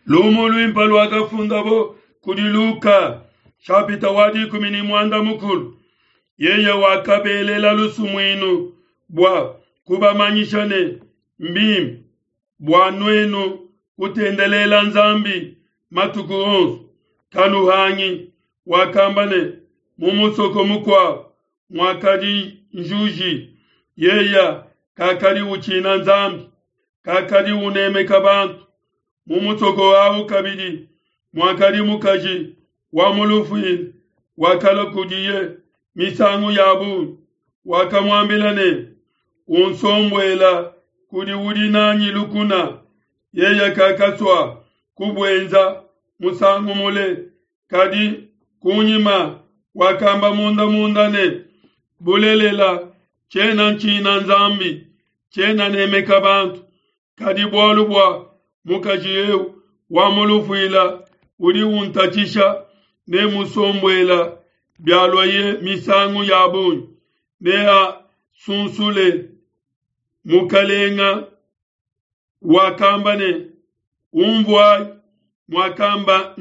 Lumu luimpe luakafundabo kudi Luka, shapita wa 13. Yeye wakabelela lusumuinu bua kubamanyisha ne, mbimpe bua nuenu kutendelela Nzambi matuku onso, kanuhangi. Wakamba ne, mu musoko mukuabo muakadi njuji, yeye kakadi utshina Nzambi, kakadi unemeka bantu. Mu musoko awu kabidi muakadi mukaji wa mu lufuila, wakalua kudiye misangu ya bungi, wakamuambila ne, unsombuela kudi udi nanyi lukuna. Yeye kakasua kubuenza musangu mule, kadi kunyima wakamba munda munda ne, bulelela tshiena ntshina Nzambi, tshiena nemeka bantu, kadi bualu bua mukaji eu wa mu lufuila udi untatshisha, ne musombuela bialuaye misangu ya bungi, neasunsule. Mukalenga wakamba ne, umvuayi muakamba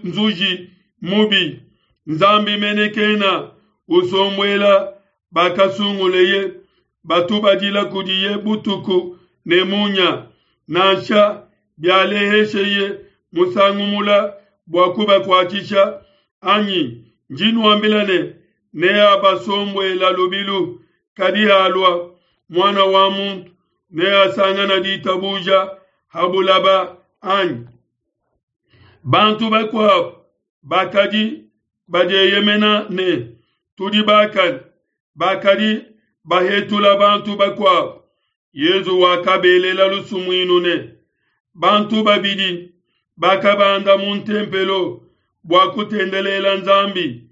nzuji mubi, Nzambi mene kena usombuela bakasunguleye, batubadila kudiye butuku ne munya, nansha bialehesheye musangu mula bua kubakuatshisha anyi? Ndi nuambila ne, neabasombuela lubilu. Kadi halua Muana wa muntu, neasangana ditabuja ha bulaba anyi? Bantu bakuabo bakadi badieyemena ne, tudi bakane, bakadi bahetula bantu bakuabo. Yezu wakabelela lusumuinu ne, bantu babidi bakabanda mu ntempelo bua kutendelela Nzambi.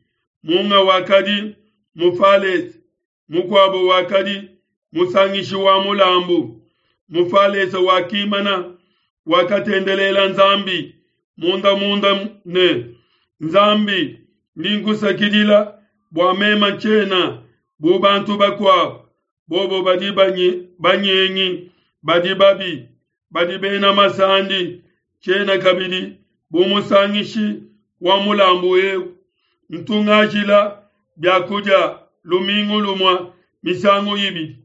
Munga wakadi Mufalese, mukuabo wakadi musangishi wa mulambu. Mufalese wakimana, wakatendelela Nzambi munda munda ne, Nzambi, ndi nkusakidila bua mema tshiena bu bantu bakuabo, bobo badi banyengi, badi babi, badi bena masandi, tshiena kabidi bu musangishi wa mulambu eu. Ntu ngajila biakudia lumingu lumue misangu ibidi,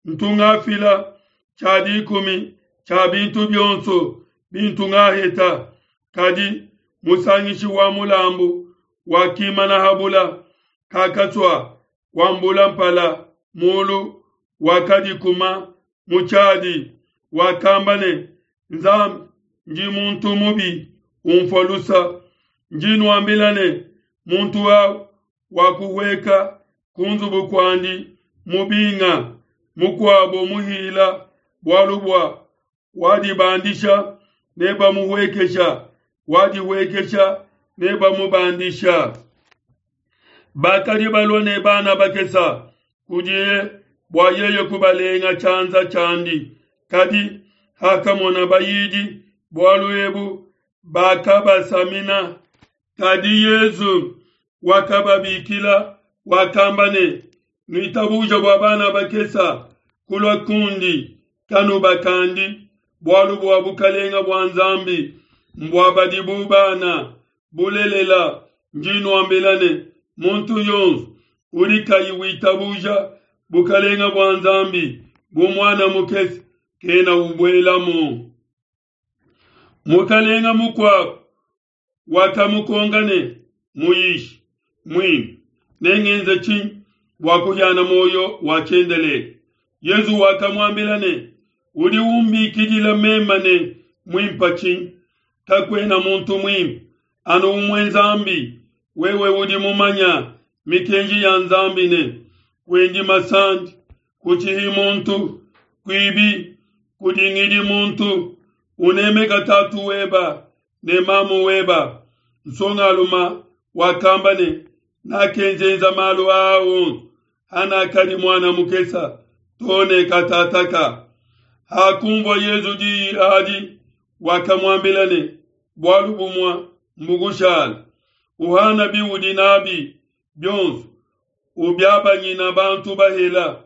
ntu ngafila tshia dikumi tshia bintu bionso bintu ngaheta. Kadi musangishi wa mulambu wakimana habula, kakatsua kuambula mpala mulu, wakadikuma mu tshiadi, wakamba ne, Nzambi, ndi muntu mubi, umfua lusa. Ndi nuambila ne, muntu au wakuhueka ku nzubu kuandi mubinga, mukuabo muhila, bualu bua wadibandisha nebamuhuekesha, wadihuekesha nebamubandisha. Bakadi balua ne bana bakesa kudiye bua yeye kubalenga tshianza tshiandi, kadi hakamona bayidi bualu ebu, bakabasamina. Kadi Yezu wakababikila, wakamba ne, nuitabuja bua bana bakesa kulua kundi, kanubakandi, bualu bua bukalenga bua Nzambi mbua badi bu bana. Bulelela ndi nuambila ne, muntu yonso udi kayi witabuja bukalenga bua Nzambi bu muana mukese kena ubuelamu. Mukalenga mukuabo wakamukonka ne, Muyishi muimpe, nengenze tshinyi bua kuhiana muoyo wa tshiendelele? Yezu wakamuambila ne, udi umbikidila meme ne muimpe tshinyi? Kakuena muntu muimpe anu umue Nzambi. Wewe udi mumanya mikenji ya Nzambi ne, kuendi masandi, kutshihi muntu, kuibi, kudingidi muntu, unemeka tatu weba ne mamu weba. Nsongaluma wakamba ne, nakenzenza malu aa onso hanakadi muana mukesa to ne katataka. Hakumvua Yezu diyi adi, wakamuambila ne, bualu bumue mbukushala, uhana biudi nabi bionso, ubiabanyina bantu bahela,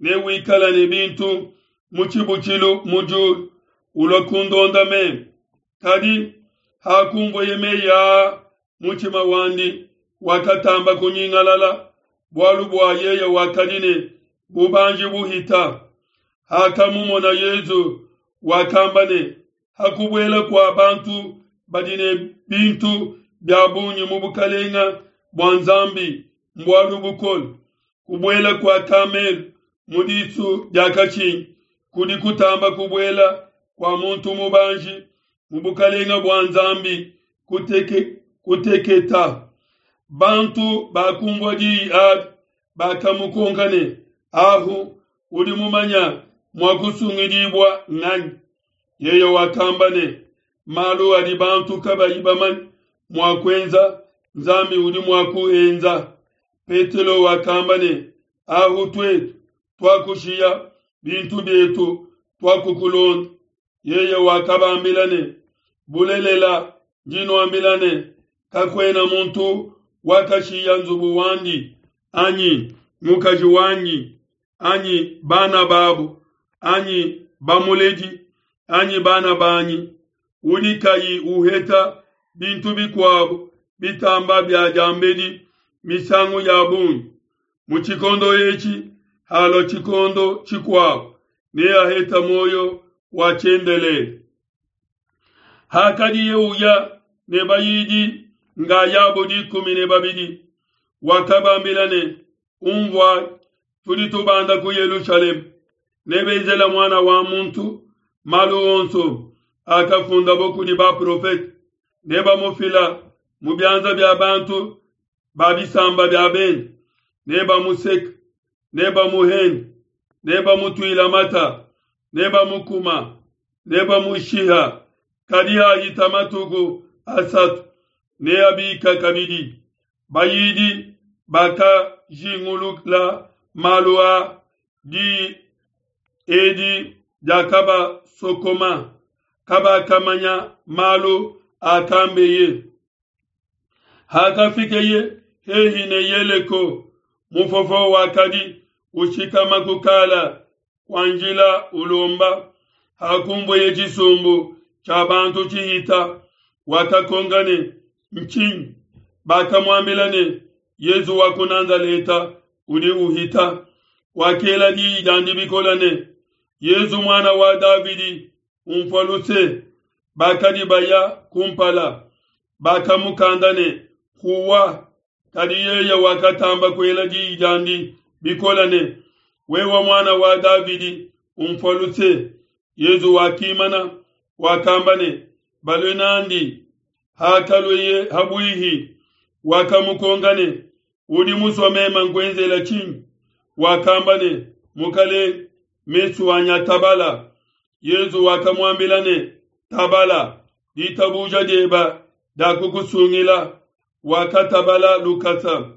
ne wikala ne bintu mu tshibutshilu mu diulu, ulua kundonda meme. Kadi. Hakunvueye mei aa, mutshima wandi wakatamba kunyingalala, bualu bua yeye wakadi ne bubanji buhita. Hakamumona Yesu, wakamba ne, Hakubuela kua bantu badi ne bintu bia bungi mu bukelenge bua Nzambi mbualu bukole. Kubuela kua kamelu mu disu dia kashingi kudi kutamba kubuela kua muntu mubanji mu bukelenge bua Nzambi kuteke, kuteketa. Bantu bakumvua diyi adi bakamukonka ne, Ahu udi mumanya mua kusungidibua nganyi? Yeye wakamba ne, Malu adi bantu kabayi bamanye mua kuenza, Nzambi udi mua kuenza. Petelo wakamba ne, Ahu tuetu tuakushiya bintu bietu, tuakukulonda. Yeye wakabambila ne, Bulelela, ndi nuambila ne, kakuena muntu wakashiya nzubu wandi anyi mukaji wanyi anyi bana babu anyi bamuledi anyi bana banyi udi kayi uheta bintu bikuabo bitamba bia diambedi misangu ya bungi mu tshikondo etshi halua tshikondo tshikuabo neaheta muoyo wa tshiendelele. Hakadiye uya ne bayidi ngayabo 12, wakabambila ne, Unvuai, tudi tubanda ku Yelushalema, nebenzela Muana wa muntu malu onso akafundabo kudi baprofete, nebamufila mu bianza bia bantu ba bisamba bia bende, nebamuseke, nebamuhende, nebamutuila mata, nebamukuma, nebamushiha, kadi hahita matuku asatu neabika kabidi. Bayidi bakajingulula malu a diyi edi diakabasokoma, kabakamanya malu akambeye. Hakafikeye hehi ne Yeleko, mufofo wakadi ushikama ku kala kua njila ulomba. Hakunvueye tshisumbu tshia bantu tshihita, wakakonka ne, Ntshinyi? Bakamuambila ne, Yesu wa ku Nazaleta udi uhita. Wakela diyi diandi bikole ne, Yesu muana wa Davidi, unfua luse. Bakadi baya kumpala, bakamukanda ne, Huwa. Kadi yeye wakatamba kuela diyi diandi bikole ne, Wewe muana wa Davidi, unfua luse. Yesu wakimana, wakamba ne, Balue n'andi. Hakalueye habuihi, wakamukonka ne, Udi musue meme nkuenzela tshinyi? Wakamba ne, Mukelenge, mesu anyi atabala. Yesu wakamuambila ne, Tabala, ditabuja dieba diakukusungila. Wakatabala lukasa,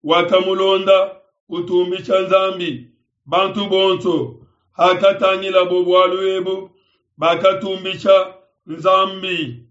wakamulonda utumbisha Nzambi. Bantu bonso hakatangilabo bualu ebu, bakatumbisha Nzambi.